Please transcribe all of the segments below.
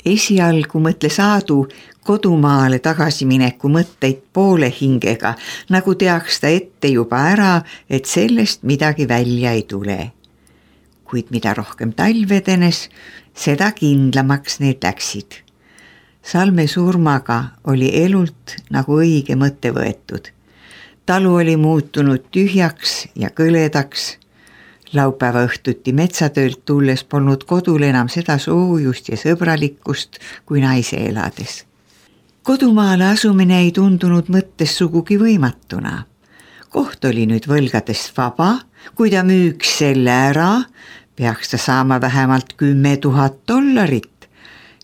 Esialgu mõtles Aadu kodumaale tagasimineku mõtteid poole hingega, nagu teaks ta ette juba ära, et sellest midagi välja ei tule. Kuid mida rohkem talv edenes, seda kindlamaks need läksid. Salme surmaga oli elult nagu õige mõte võetud. Talu oli muutunud tühjaks ja kõledaks. Laupäeva õhtuti metsatöölt tulles polnud kodul enam seda soojust ja sõbralikkust kui naise elades. Kodumaale asumine ei tundunud mõttes sugugi võimatuna. Koht oli nüüd võlgadest vaba, kui ta müüks selle ära, peaks ta saama vähemalt $10,000.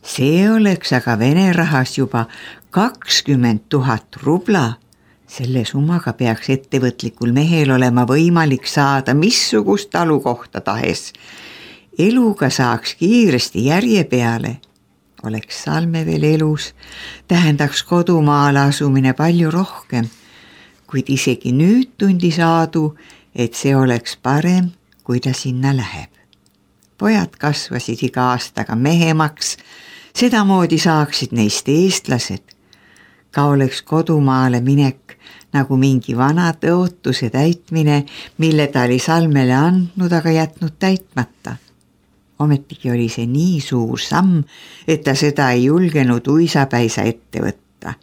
See oleks aga Vene rahas juba 20,000 rubla. Selle summaga peaks ettevõtlikul mehel olema võimalik saada missugust talukohta tahes. Eluga saaks kiiresti järje peale. Oleks Salme veel elus, tähendaks kodumaale asumine palju rohkem, kuid isegi nüüd tundis Aadu, et see oleks parem, kui ta sinna läheb. Pojad kasvasid iga aastaga mehemaks, sedamoodi saaksid neist eestlased. Ka oleks kodumaale minek nagu mingi vana tõotuse täitmine, mille ta oli Salmele andnud, aga jätnud täitmata. Ometigi oli see nii suur samm, et ta seda ei julgenud uisapäisa ette võtta.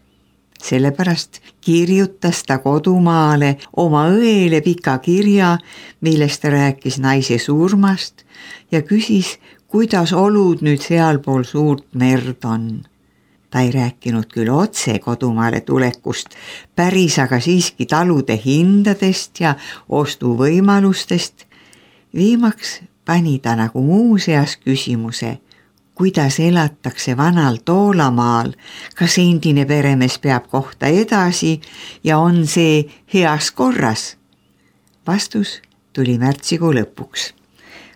Sellepärast kirjutas ta kodumaale oma õele pika kirja, millest ta rääkis naise surmast ja küsis, kuidas olud nüüd sealpool suurt merd on. Ta ei rääkinud küll otse kodumaale tulekust, päris aga siiski talude hindadest ja ostuvõimalustest. Viimaks pani ta nagu muuseas küsimuse, kuidas elatakse vanal Toolamaal, kas endine peremees peab kohta edasi ja on see heas korras? Vastus tuli märtsikuu lõpuks.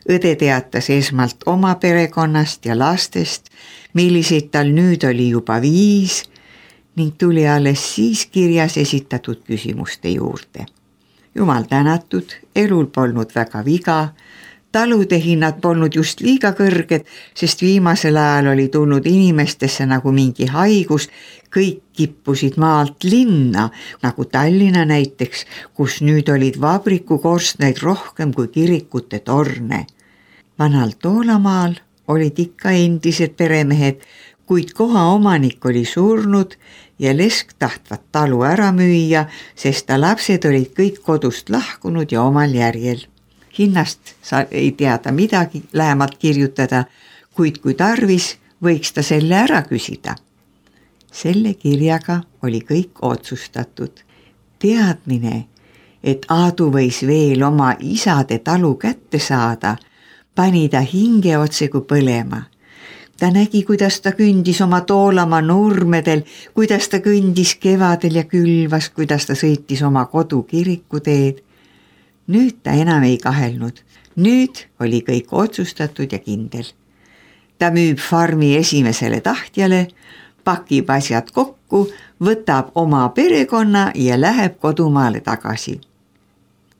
Õde teatas esmalt oma perekonnast ja lastest, milliseid tal nüüd oli juba 5 ning tuli alles siis kirjas esitatud küsimuste juurde. Jumal tänatud, elul polnud väga viga, talude hinnad polnud just liiga kõrged, sest viimasel ajal oli tulnud inimestesse nagu mingi haigus, kõik kippusid maalt linna, nagu Tallinna näiteks, kus nüüd olid vabrikukorstneid rohkem kui kirikute torne. Vanal Toolamaal olid ikka endised peremehed, kuid koha omanik oli surnud ja Lesk tahtvat talu ära müüa, sest ta lapsed olid kõik kodust lahkunud ja omal järjel. Hinnast ei teada midagi lähemalt kirjutada, kuid kui tarvis, võiks ta selle ära küsida. Selle kirjaga oli kõik otsustatud. Teadmine, et Aadu võis veel oma isade talu kätte saada, pani ta hinge otse kui põlema. Ta nägi, kuidas ta kündis oma Toolamaa nurmedel, kuidas ta kõndis kevadel ja külvas, kuidas ta sõitis oma kodu kirikuteed. Nüüd ta enam ei kahelnud. Nüüd oli kõik otsustatud ja kindel. Ta müüb farmi esimesele tahtjale, pakib asjad kokku, võtab oma perekonna ja läheb kodumaale tagasi.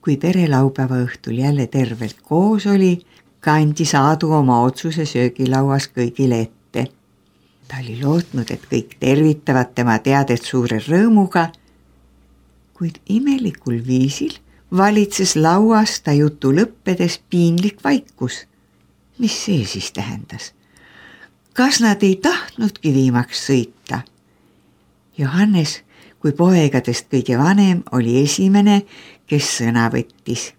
Kui pere laupäeva õhtul jälle tervelt koos oli, kandis Aadu oma otsuse söögilauas kõigile ette. Ta oli lootnud, et kõik tervitavad tema teadet suure rõõmuga, kuid imelikul viisil valitses lauas ta jutu lõppedes piinlik vaikus. Mis see siis tähendas? Kas nad ei tahtnudki viimaks sõita? Johannes, kui poegadest kõige vanem, oli esimene, kes sõna võttis.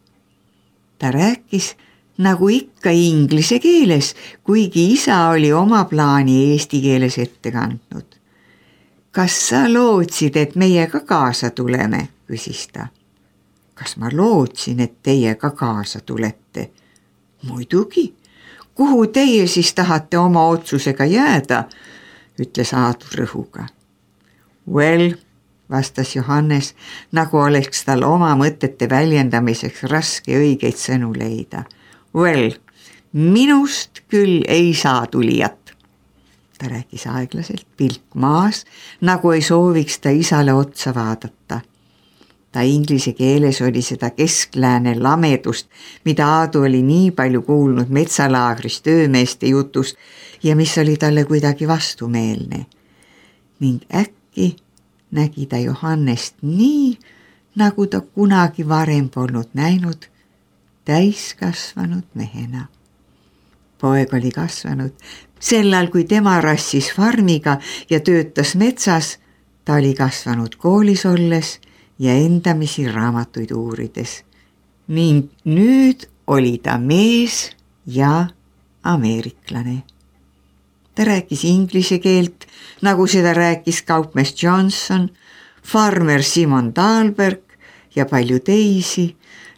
Ta rääkis nagu ikka inglise keeles, kuigi isa oli oma plaani eesti keeles ette kandnud. Kas sa lootsid, et meie ka kaasa tuleme, küsis ta. Kas ma lootsin, et teie ka kaasa tulete? Muidugi, kuhu teie siis tahate oma otsusega jääda, ütles Aadu rõhuga. Well, vastas Johannes, nagu oleks tal oma mõtete väljendamiseks raske õigeid sõnu leida. Well, minust küll ei saa tulijat. Ta rääkis aeglaselt, pilk maas, nagu ei sooviks ta isale otsa vaadata. Ta inglise keeles oli seda kesklääne lamedust, mida Aadu oli nii palju kuulnud metsalaagris töömeeste jutust ja mis oli talle kuidagi vastumeelne. Ning äkki nägi ta Johannest nii, nagu ta kunagi varem polnud näinud täiskasvanud mehena. Poeg oli kasvanud. Sellal, kui tema rassis farmiga ja töötas metsas, ta oli kasvanud koolis olles ja endamisi raamatuid uurides. Ning nüüd oli ta mees ja ameeriklane. Ta rääkis inglise keelt, nagu seda rääkis kaupmees Johnson, farmer Simon Dahlberg ja palju teisi,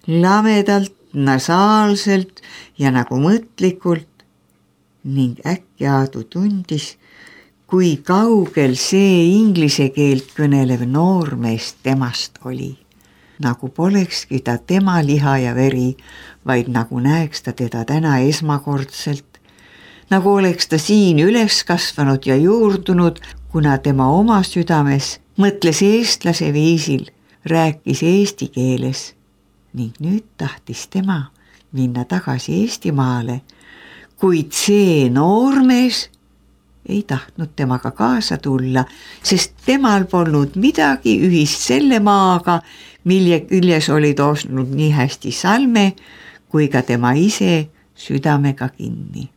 lamedalt, nasaalselt ja nagu mõtlikult. Ning äkki Aadu tundis, kui kaugel see inglise keelt kõnelev noormees temast oli. Nagu polekski ta tema liha ja veri, vaid nagu näeks ta teda täna esmakordselt. Nagu oleks ta siin üles kasvanud ja juurdunud, kuna tema oma südames mõtles eestlase viisil, rääkis eesti keeles. Ning nüüd tahtis tema minna tagasi Eestimaale, kuid see noormees ei tahtnud temaga kaasa tulla, sest temal polnud midagi ühist selle maaga, mille küljes oli toosnud nii hästi Salme kui ka tema ise südamega kinni.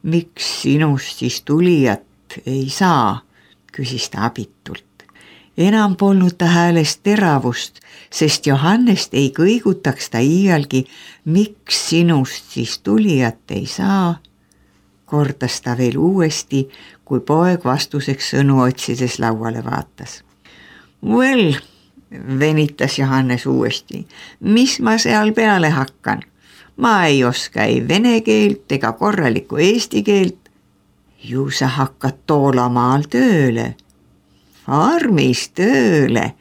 Miks sinust siis tulijat ei saa, küsis ta abitult. Enam polnud ta häälest teravust, sest Johannest ei kõigutaks ta iialgi, miks sinust siis tulijat ei saa. Kordas ta veel uuesti, kui poeg vastuseks sõnu otsides lauale vaatas. Well, venitas Johannes uuesti, mis ma seal peale hakkan? Ma ei oska ei vene keelt ega korralikku eesti keelt. Ju sa hakkad Toolamaal tööle. Farmis tööle.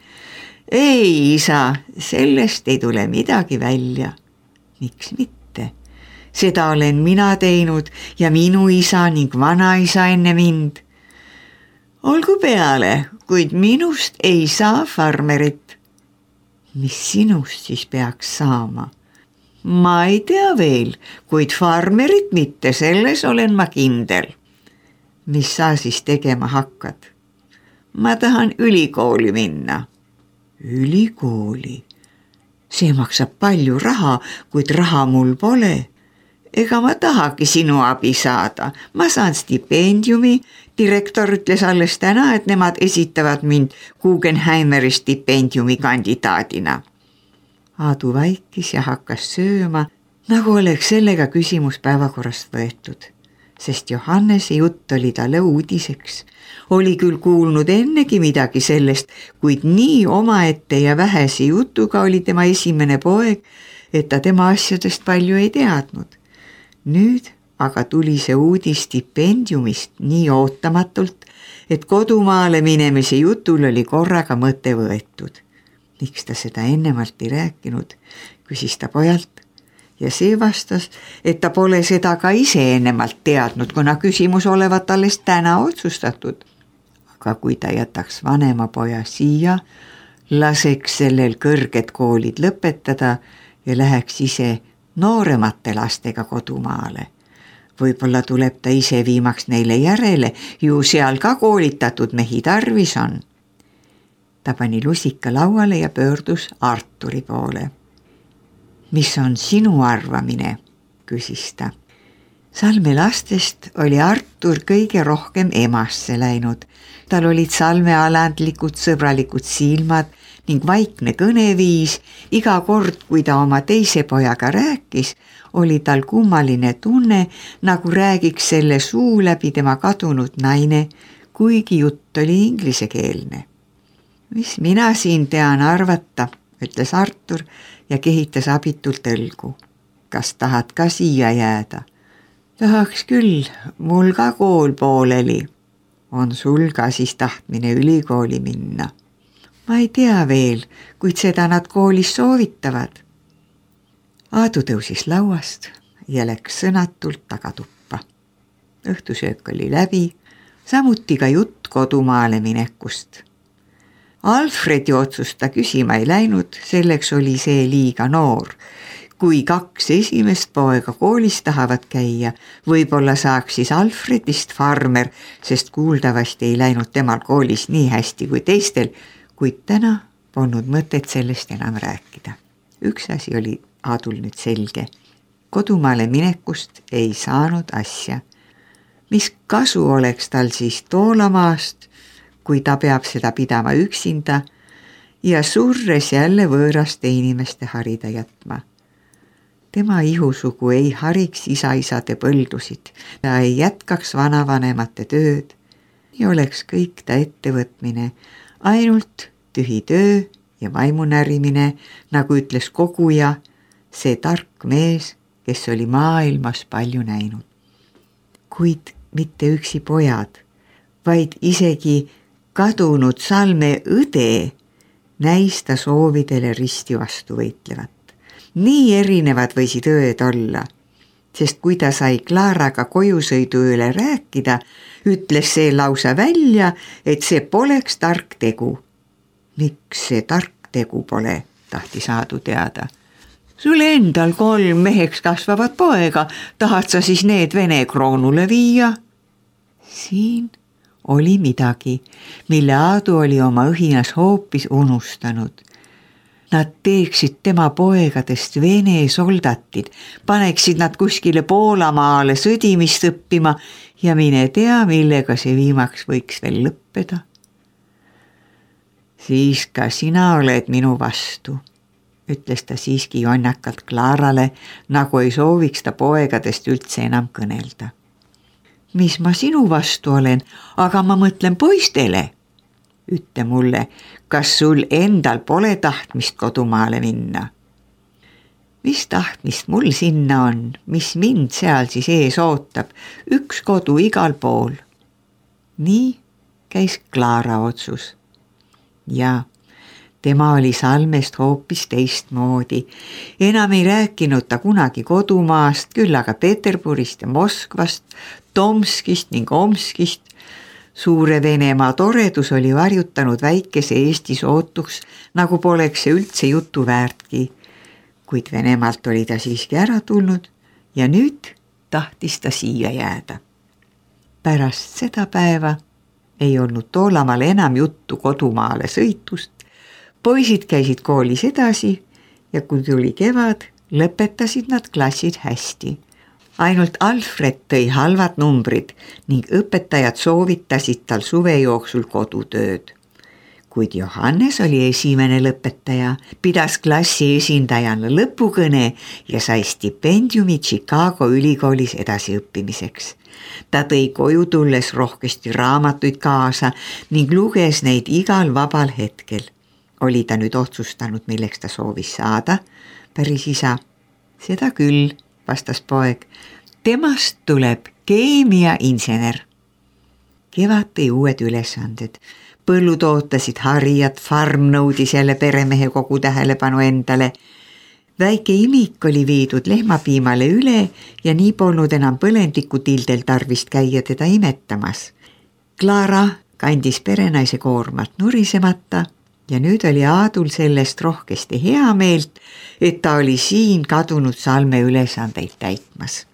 Ei, isa, sellest ei tule midagi välja. Miks mitte? Seda olen mina teinud ja minu isa ning vanaisa enne mind. Olgu peale, kuid minust ei saa farmerit. Mis sinust siis peaks saama? Ma ei tea veel, kuid farmerit mitte, selles olen ma kindel. Mis sa siis tegema hakkad? Ma tahan ülikooli minna. Ülikooli? See maksab palju raha, kuid raha mul pole. Ega ma tahagi sinu abi saada. Ma saan stipendiumi. Direktor ütles alles täna, et nemad esitavad mind Guggenheimeri stipendiumi kandidaadina. Aadu vaikis ja hakkas sööma, nagu oleks sellega küsimus päevakorrast võetud, sest Johannese jutt oli talle uudiseks. Oli küll kuulnud ennegi midagi sellest, kuid nii omaette ja vähese jutuga oli tema esimene poeg, et ta tema asjadest palju ei teadnud. Nüüd aga tuli see uudis stipendiumist nii ootamatult, et kodumaale minemise jutul oli korraga mõte võetud. Miks ta seda ennemalt ei rääkinud, küsis ta pojalt ja see vastas, et ta pole seda ka ise ennemalt teadnud, kuna küsimus olevat alles täna otsustatud. Aga kui ta jätaks vanema poja siia, laseks sellel kõrged koolid lõpetada ja läheks ise nooremate lastega kodumaale. Võib-olla tuleb ta ise viimaks neile järele, ju seal ka koolitatud mehi tarvis on. Ta pani lusika lauale ja pöördus Arturi poole. Mis on sinu arvamine, küsis ta. Salme lastest oli Artur kõige rohkem emasse läinud. Tal olid Salme alandlikud sõbralikud silmad ning vaikne kõneviis. Iga kord, kui ta oma teise pojaga rääkis, oli tal kummaline tunne, nagu räägiks selle suu läbi tema kadunud naine, kuigi jutt oli inglisekeelne. Mis mina siin tean arvata, ütles Artur ja kehitas abitult õlgu. Kas tahad ka siia jääda? Tahaks küll, mul ka kool pooleli. On sul ka siis tahtmine ülikooli minna? Ma ei tea veel, kuid seda nad koolis soovitavad. Aadu tõusis lauast ja läks sõnatult tagatuppa. Õhtusöök oli läbi, samuti ka jutt kodumaale minekust. Alfredi otsust ta küsima ei läinud, selleks oli see liiga noor. Kui 2 esimest poega koolis tahavad käia, võib-olla saaks siis Alfredist farmer, sest kuuldavasti ei läinud temal koolis nii hästi kui teistel, kuid täna polnud mõtet sellest enam rääkida. Üks asi oli Aadul nüüd selge. Kodumaale minekust ei saanud asja. Mis kasu oleks tal siis Toolamaast, kui ta peab seda pidama üksinda ja surres jälle võõraste inimeste harida jätma. Tema ihusugu ei hariks isaisade põldusid, ta ei jätkaks vanavanemate tööd ja oleks kõik ta ettevõtmine, ainult tühi töö ja vaimunärimine, nagu ütles koguja, see tark mees, kes oli maailmas palju näinud. Kuid mitte üksi pojad, vaid isegi kadunud Salme õde näis ta soovidele risti vastu võitlevat. Nii erinevad võisid õed olla, sest kui ta sai Klaaraga kojusõidu üle rääkida, ütles see lausa välja, et see poleks tark tegu. Miks see tark tegu pole, tahtis Aadu teada. Sul endal 3 meheks kasvavat poega, tahad sa siis need Vene kroonule viia? Siin oli midagi, mille Aadu oli oma õhinas hoopis unustanud. Nad teeksid tema poegadest Vene soldatid, paneksid nad kuskile Poolamaale sõdimist õppima ja mine tea, millega see viimaks võiks veel lõppeda. Siis ka sina oled minu vastu, ütles ta siiski jonnakalt Klaarale, nagu ei sooviks ta poegadest üldse enam kõnelda. Mis ma sinu vastu olen, aga ma mõtlen poistele. Ütle mulle, kas sul endal pole tahtmist kodumaale minna? Mis tahtmist mul sinna on, mis mind seal siis ees ootab, üks kodu igal pool. Nii käis Klaara otsus. Ja tema oli Salmest hoopis teistmoodi. Enam ei rääkinud ta kunagi kodumaast, küll aga Peterburist ja Moskvast, Tomskist ning Omskist. Suure Venemaa toredus oli varjutanud väikese Eesti sootuks, nagu poleks see üldse jutu väärtki. Kuid Venemaalt oli ta siiski ära tulnud ja nüüd tahtis ta siia jääda. Pärast seda päeva ei olnud Toolamaal enam juttu kodumaale sõitust. Poisid käisid koolis edasi ja kui tuli kevad, lõpetasid nad klassid hästi. Ainult Alfred tõi halvad numbrid ning õpetajad soovitasid tal suve jooksul kodutööd. Kuid Johannes oli esimene lõpetaja, pidas klassi esindajana lõpukõne ja sai stipendiumi Chicago ülikoolis edasiõppimiseks. Ta tõi koju tulles rohkesti raamatuid kaasa ning luges neid igal vabal hetkel. Oli ta nüüd otsustanud, milleks ta soovis saada? Päris isa. Seda küll, vastas poeg. Temast tuleb keemiainsener. Kevad tõi uued ülesanded. Põllud ootasid harijad, farm nõudis jälle peremehe kogu tähelepanu endale. Väike imik oli viidud lehmapiimale üle ja nii polnud enam põlendikutildel tarvist käia teda imetamas. Klaara kandis perenaise koormat nurisemata ja nüüd oli Aadul sellest rohkesti hea meelt, et ta oli siin kadunud Salme ülesandeid täitmas.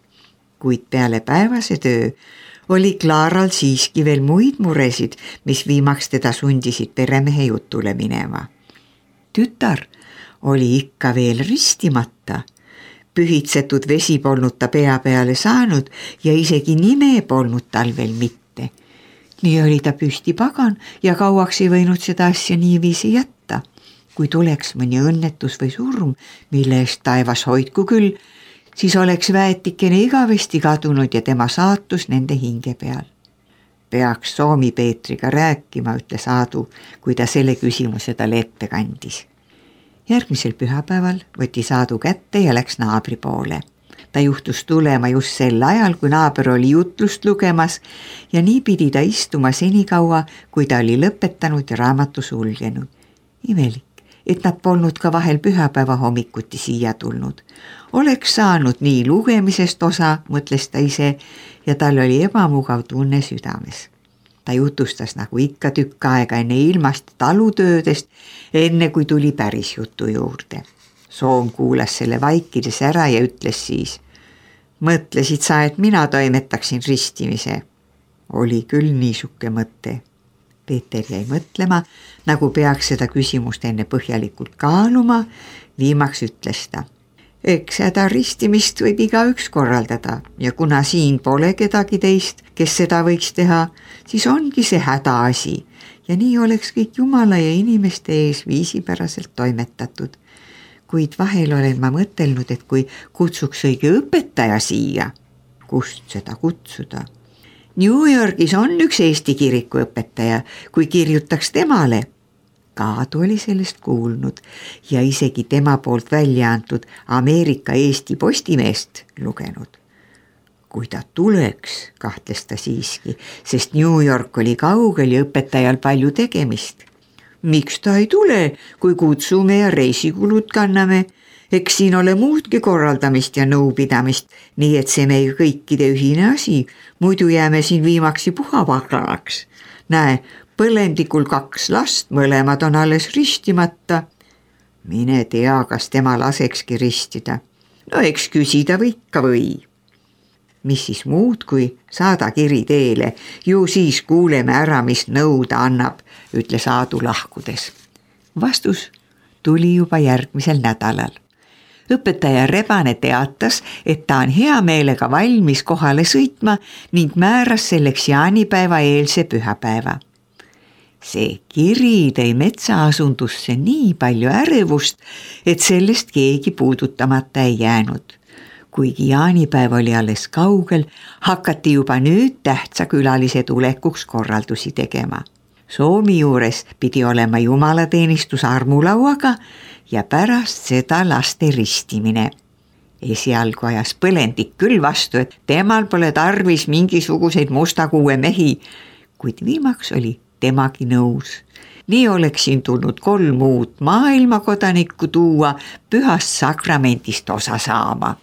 Kuid peale päevase töö oli Klaaral siiski veel muid muresid, mis viimaks teda sundisid peremehe jutule minema. Tütar oli ikka veel ristimata. Pühitsetud vesi polnud ta pea peale saanud ja isegi nime polnud tal veel mitte. Nii oli ta püsti pagan ja kauaks ei võinud seda asja niiviisi jätta. Kui tuleks mõni õnnetus või surm, mille eest taevas hoidku küll, siis oleks väetikene igavesti kadunud ja tema saatus nende hinge peal. Peaks Soomi Peetriga rääkima, ütles Aadu, kui ta selle küsimuse talle ette kandis. Järgmisel pühapäeval võttis Aadu kätte ja läks naabri poole. Ta juhtus tulema just sel ajal, kui naaber oli jutlust lugemas ja nii pidi ta istuma senikaua, kui ta oli lõpetanud ja raamatu sulgenud. Imelik, et nad polnud ka vahel pühapäeva hommikuti siia tulnud. Oleks saanud nii lugemisest osa, mõtles ta ise, ja tal oli ebamugav tunne südames. Ta jutustas nagu ikka tükk aega enne ilmast talutöödest, enne kui tuli päris jutu juurde. Soom kuulas selle vaikides ära ja ütles siis: mõtlesid sa, et mina toimetaksin ristimise? Oli küll niisuke mõte. Peeter jäi mõtlema, nagu peaks seda küsimust enne põhjalikult kaaluma. Viimaks ütles ta: eks seda ristimist võib igaüks korraldada ja kuna siin pole kedagi teist, kes seda võiks teha, siis ongi see hädaasi ja nii oleks kõik Jumala ja inimeste ees viisipäraselt toimetatud. Kuid vahel olen ma mõtelnud, et kui kutsuks õige õpetaja siia, kust seda kutsuda? New Yorgis on üks Eesti kiriku õpetaja, kui kirjutaks temale. Kaadu oli sellest kuulnud ja isegi tema poolt välja antud Ameerika Eesti Postimeest lugenud. Kui ta tuleks, kahtles ta siiski, sest New York oli kaugel ja õpetajal palju tegemist. Miks ta ei tule, kui kutsume ja reisikulud kanname? Eks siin ole muudki korraldamist ja nõupidamist, nii et see meie kõikide ühine asi, muidu jääme siin viimaksi puhapaklalaks. Näe, põlendikul 2 last, mõlemad on alles ristimata. Mine tea, kas tema lasekski ristida. No eks küsida või ikka või. Mis siis muud, kui saada kiri teele, ju siis kuuleme ära, mis nõu ta annab, ütles Aadu lahkudes. Vastus tuli juba järgmisel nädalal. Õpetaja Rebane teatas, et ta on hea meelega valmis kohale sõitma ning määras selleks jaanipäeva eelse pühapäeva. See kiri tõi metsaasundusse nii palju ärevust, et sellest keegi puudutamata ei jäänud. Kuigi jaanipäev oli alles kaugel, hakati juba nüüd tähtsa külalise tulekuks korraldusi tegema. Soomi juures pidi olema jumalateenistus armulauaga ja pärast seda laste ristimine. Esialgu ajas Põlendik küll vastu, et temal pole tarvis mingisuguseid mustakuue mehi, kuid viimaks oli temagi nõus. Nii oleks siin tulnud 3 uut maailmakodanikku tuua pühast sakramendist osa saama.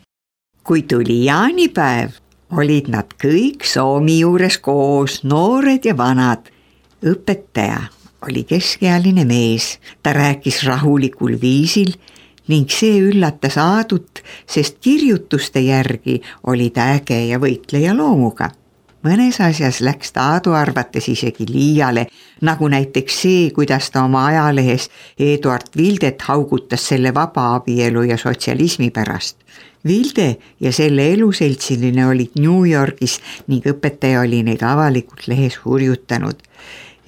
Kui tuli jaanipäev, olid nad kõik Soomi juures koos, noored ja vanad. Õpetaja oli keskealine mees, ta rääkis rahulikul viisil ning see üllatas Aadut, sest kirjutuste järgi oli ta äge ja võitleja loomuga. Mõnes asjas läks ta Aadu arvates isegi liiale, nagu näiteks see, kuidas ta oma ajalehes Eduard Vildet haugutas selle vabaabielu ja sotsialismi pärast. Vilde ja selle eluseltsiline olid New Yorgis ning õpetaja oli neid avalikult lehes hurjutanud.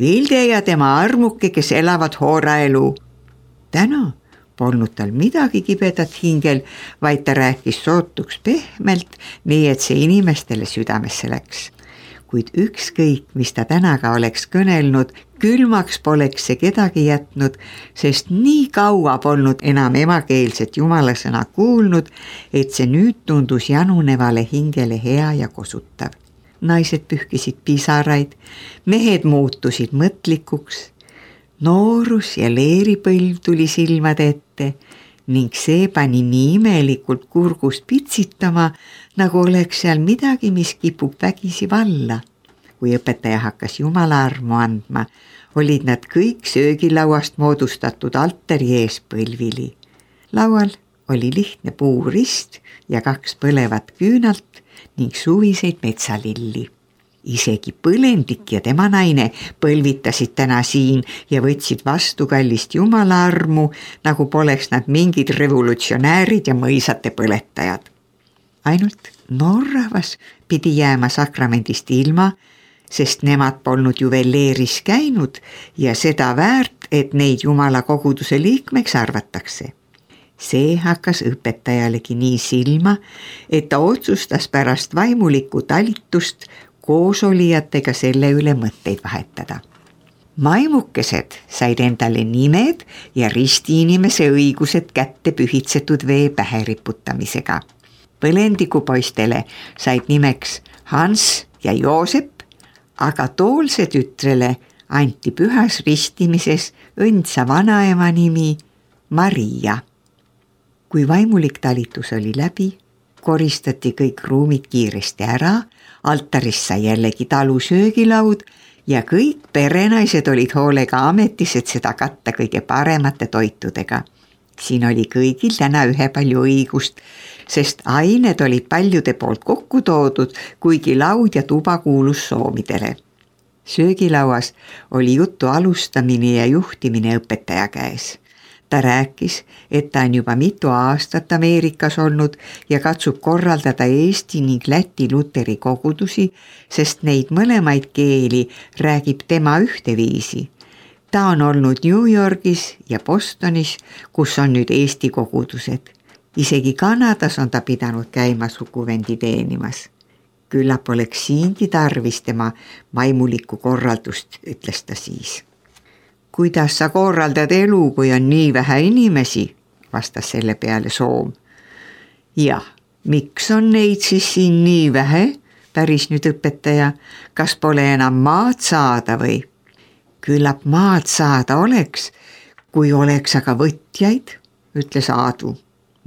Vilde ja tema armuke, kes elavad hooraelu. Täna polnud tal midagi kibedat hingel, vaid ta rääkis sootuks pehmelt, nii et see inimestele südamesse läks. Kuid ükskõik, mis ta tänaga oleks kõnelnud, külmaks poleks see kedagi jätnud, sest nii kaua polnud enam emakeelset jumalasõna kuulnud, et see nüüd tundus janunevale hingele hea ja kosutav. Naised pühkisid pisaraid, mehed muutusid mõtlikuks, noorus ja leeripõlv tuli silmade ette ning see pani nii imelikult kurgust pitsitama, nagu oleks seal midagi, mis kipub vägisi valla. Kui õpetaja hakkas jumala armu andma, olid nad kõik söögilauast moodustatud altari ees põlvili. Laual oli lihtne puurist ja 2 põlevat küünalt ning suviseid metsalilli. Isegi Põlendik ja tema naine põlvitasid täna siin ja võtsid vastu kallist jumala armu, nagu poleks nad mingid revolutsionäärid ja mõisate põletajad. Ainult noorrahvas pidi jääma sakramendist ilma, sest nemad polnud ju veel leeris käinud ja seda väärt, et neid jumala koguduse liikmeks arvatakse. See hakkas õpetajalegi nii silma, et ta otsustas pärast vaimulikku talitust koosolijatega selle üle mõtteid vahetada. Maimukesed said endale nimed ja ristiinimese õigused kätte pühitsetud vee pähe riputamisega. Põlendiku poistele said nimeks Hans ja Joosep, aga Toolse tütrele anti pühas ristimises õndsa vanaema nimi Maria. Kui vaimulik talitus oli läbi, koristati kõik ruumid kiiresti ära, altarist sai jällegi talu söögilaud ja kõik perenaised olid hoolega ametis, et seda katta kõige paremate toitudega. Siin oli kõigil täna ühepalju õigust, sest ained olid paljude poolt kokku toodud, kuigi laud ja tuba kuulus soomidele. Söögilauas oli jutu alustamine ja juhtimine õpetaja käes. Ta rääkis, et ta on juba mitu aastat Ameerikas olnud ja katsub korraldada Eesti ning Läti luteri kogudusi, sest neid mõlemaid keeli räägib tema ühteviisi. Ta on olnud New Yorgis ja Bostonis, kus on nüüd Eesti kogudused. Isegi Kanadas on ta pidanud käima suguvendi teenimas. Küllap oleks siingi tarvis tema maimulikku korraldust, ütles ta siis. Kuidas sa korraldad elu, kui on nii vähe inimesi, vastas selle peale Soom. Jah, miks on neid siis siin nii vähe, päris nüüd õpetaja, kas pole enam maad saada või? Küllap maad saada oleks, kui oleks aga võtjaid, ütles Aadu.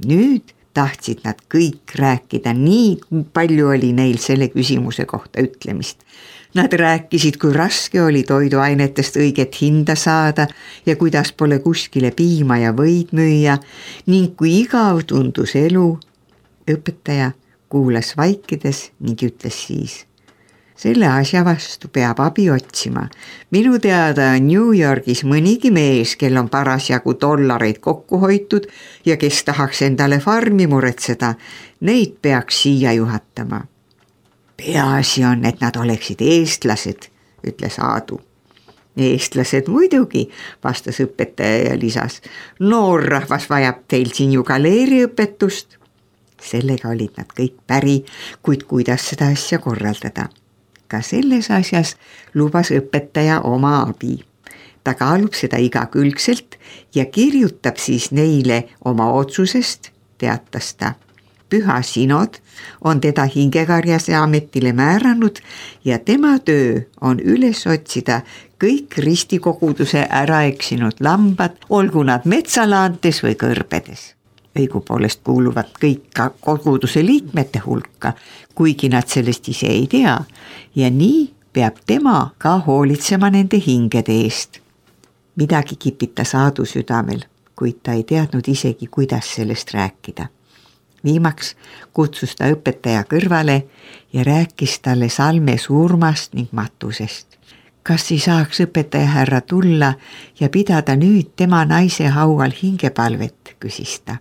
Nüüd tahtsid nad kõik rääkida, nii palju oli neil selle küsimuse kohta ütlemist. Nad rääkisid, kui raske oli toiduainetest õiget hinda saada ja kuidas pole kuskile piima ja võid müüa ning kui igav tundus elu. Õpetaja kuulas vaikides ning ütles siis. Selle asja vastu peab abi otsima. Minu teada on New Yorgis mõnigi mees, kel on parasjagu dollareid kokku hoitud ja kes tahaks endale farmi muretseda. Neid peaks siia juhatama. Peaasi on, et nad oleksid eestlased, ütles Aadu. Eestlased muidugi, vastas õpetaja ja lisas. Noor rahvas vajab teil siin ju galeeriõpetust. Sellega olid nad kõik päri, kuid kuidas seda asja korraldada. Ka selles asjas lubas õpetaja oma abi. Ta kaalub seda igakülgselt ja kirjutab siis neile oma otsusest, teatas ta. Püha Sinod on teda hingekarjase ametile määranud ja tema töö on üles otsida kõik ristikoguduse ära eksinud lambad, olgu nad metsalaantes või kõrbedes. Õigupoolest kuuluvad kõik ka koguduse liikmete hulka, kuigi nad sellest ise ei tea ja nii peab tema ka hoolitsema nende hingede eest. Midagi kipitas Aadu südamel, kuid ta ei teadnud isegi, kuidas sellest rääkida. Viimaks kutsus ta õpetaja kõrvale ja rääkis talle salme surmast ning matusest. Kas ei saaks õpetaja härra tulla ja pidada nüüd tema naise haual hingepalvet, küsis ta.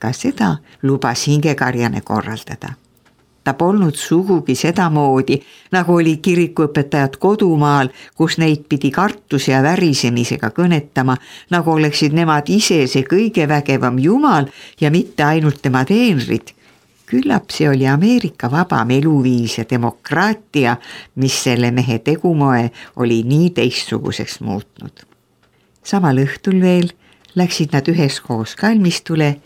Ka seda lubas hingekarjane korraldada. Ta polnud sugugi sedamoodi, nagu oli kirikuõpetajad kodumaal, kus neid pidi kartus ja värisemisega kõnetama, nagu oleksid nemad ise see kõige vägevam jumal ja mitte ainult tema teenrid. Küllap see oli Ameerika vabam eluviis ja demokraatia, mis selle mehe tegumoe oli nii teistsuguseks muutnud. Samal õhtul veel läksid nad üheskoos kalmistule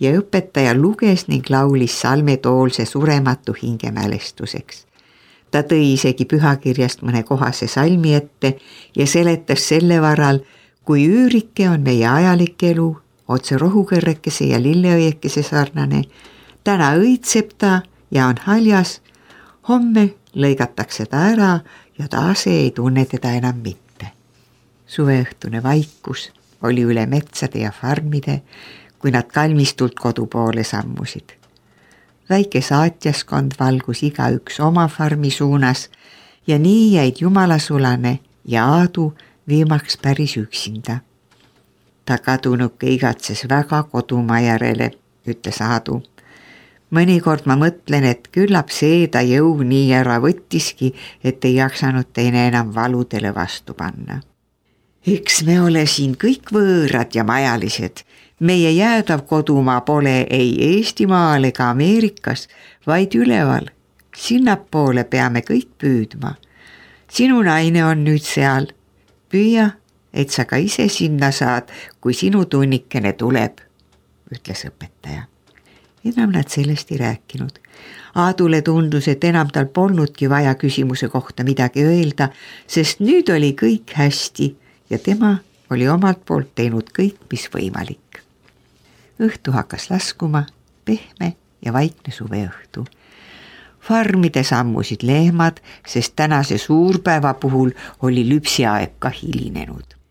ja õpetaja luges ning laulis salme Toolse surematu hingemälestuseks. Ta tõi isegi pühakirjast mõne kohase salmi ette ja seletas selle varal, kui üürike on meie ajalik elu, otse rohukõrrekese ja lilleõiekese sarnane, täna õitseb ta ja on haljas, homme lõigatakse ta ära ja ta ase ei tunne teda enam mitte. Suveõhtune vaikus oli üle metsade ja farmide, kui nad kalmistult kodu poole sammusid. Väike saatjaskond valgus igaüks oma farmi suunas ja nii jäid Jumalasulane ja Aadu viimaks päris üksinda. Ta kadunuke igatses väga kodumaa järele, ütles Aadu. Mõnikord ma mõtlen, et küllap see ta jõu nii ära võttiski, et ei jaksanud teine enam valudele vastu panna. Eks me ole siin kõik võõrad ja majalised. Meie jäädav kodumaa pole ei Eestimaal ega Ameerikas, vaid üleval. Sinnapoole peame kõik püüdma. Sinu naine on nüüd seal. Püüa, et sa ka ise sinna saad, kui sinu tunnikene tuleb, ütles õpetaja. Enam nad sellest ei rääkinud. Aadule tundus, et enam tal polnudki vaja küsimuse kohta midagi öelda, sest nüüd oli kõik hästi ja tema oli omalt poolt teinud kõik, mis võimalik. Õhtu hakkas laskuma, pehme ja vaikne suveõhtu. farmides ammusid lehmad, sest tänase suurpäeva puhul oli lüpsiaeg ka hilinenud.